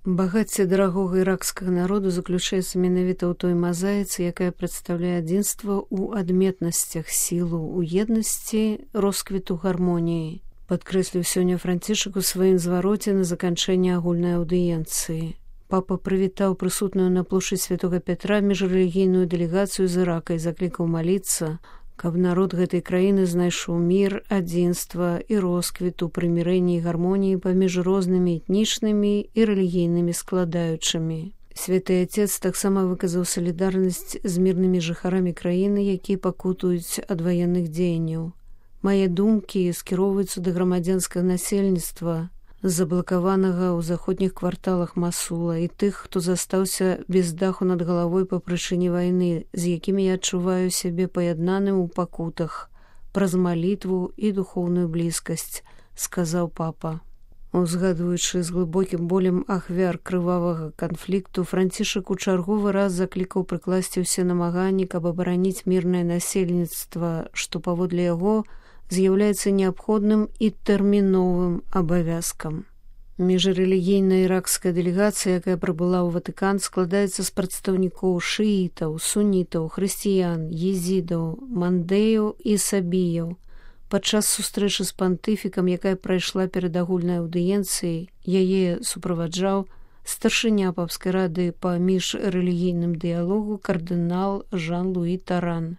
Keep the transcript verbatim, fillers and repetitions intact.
Багацце дарагога іракскага народу заключаецца менавіта ў той мазаіцы, якая прадстаўляе адзінства ў адметнасцях, сілу ў еднасці, росквіту гармоніі, падкрэсліў сёння Францішак у сваім звароце на заканчэнне агульнай аўдыенцыі. Папа прывітаў прысутную на плошчадь Святога Пятра міжрэлігійную дэлегацыю з Ірака і заклікаў маліцца, каб народ гэтай краіны знайшоў мір, адзінства і росквіт у прымірэнні і гармоніі паміж рознымі этнічнымі і рэлігійнымі складаючымі. Святы Отец таксама выказаў салідарнасць з мірнымі жыхарамі краіны, якія пакутуюць ад ваенных дзеянняў. Мае думкі скіроўваюцца да грамадзянскага насельніцтва, заблакаванага ў заходніх кварталах Масула, і тых, хто застаўся без даху над галавой па прычыне вайны, з якімі я адчуваю сябе паяднаным у пакутах праз малітву і духоўную блізкасць, сказаў папа. Узгадваючы з глыбокім болем ахвяр крывавага канфлікту, Францішак у чарговы раз заклікаў прыкласці ўсе намаганні, каб абараніць мірнае насельніцтва, што паводле яго з'яўляецца неабходным і тэрміновым абавязкам. Міжрэлігійная іракская дэлегацыя, якая прыбыла ў Ватыкан, складаецца з прадстаўнікоў шыітаў, сунітаў, хрысціян, езідаў, мандеяў і сабіяў. Падчас сустрэчы з пантыфікам, якая прайшла перад агульнай аўдыенцыяй, яе суправаджаў старшыня папскай рады па міжрэлігійным дыялогу кардынал Жан-Луі Таран.